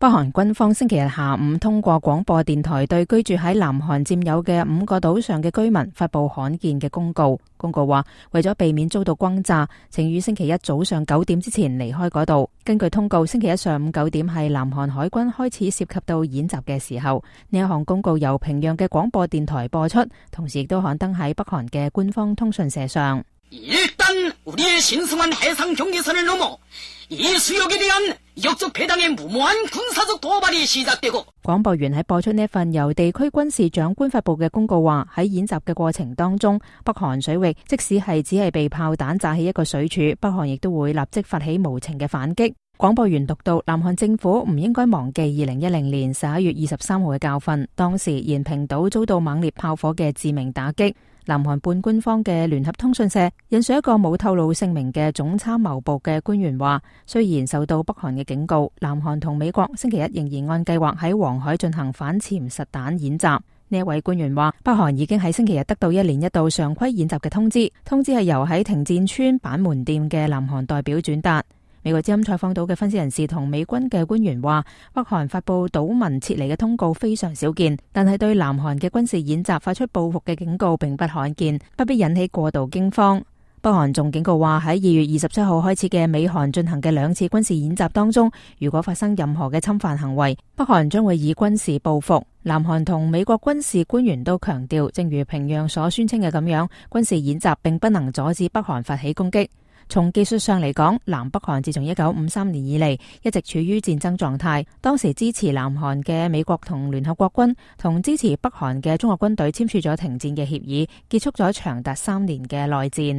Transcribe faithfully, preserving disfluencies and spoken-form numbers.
北韓軍方星期日下午通過廣播電台對居住喺南韓佔有嘅五個島上嘅居民發佈罕見嘅公告。公告話，為咗避免遭到轟炸，請於星期一早上九點之前離開嗰度。根據通告，星期一上午九點係南韓海軍開始涉及到演習嘅時候。呢一項公告由平壤嘅廣播電台播出，同時亦都刊登喺北韓嘅官方通訊社上。일단 우리의 신성한 해상 경계선을 넘어 이 수역에 대한 역적 배당의 무모한 군사적 도발이 시작되고。廣播員喺播出呢份由地區軍事長官發佈嘅公告話，喺演習嘅過程當中，北韓水域即使係只係被炮彈炸起一個水柱，北韓亦都會立即發起無情嘅反擊。廣播員讀到，南韓政府唔應該忘記二零一零年十一月二十三號嘅教訓，當時延平島遭到猛烈炮火嘅致命打擊。南韓半官方嘅聯合通訊社引述一個冇透露姓名嘅總參謀部嘅官員話，雖然受到北韓嘅警告，南韓同美國星期一仍然按計劃喺黃海進行反潛實彈演習。呢一位官員話，北韓已經喺星期日得到一年一度常規演習嘅通知，通知係由喺停戰村板門店嘅南韓代表轉達。美國之音採訪到嘅分析人士同美軍嘅官員話，北韓發佈島民撤離嘅通告非常少見，但係對南韓嘅軍事演習發出報復嘅警告並不罕見，不必引起過度驚慌。北韓仲警告話，喺二月二十七號開始嘅美韓進行嘅兩次軍事演習當中，如果發生任何嘅侵犯行為，北韓將會以軍事報復。南韓同美國軍事官員都強調，正如平壤所宣稱嘅咁樣，軍事演習並不能阻止北韓發起攻擊。從技術上嚟講，南北韓自從一九五三年以嚟一直處於戰爭狀態。當時支持南韓嘅美國同聯合國軍同支持北韓嘅中國軍隊簽署咗停戰嘅協議，結束咗長達三年嘅內戰。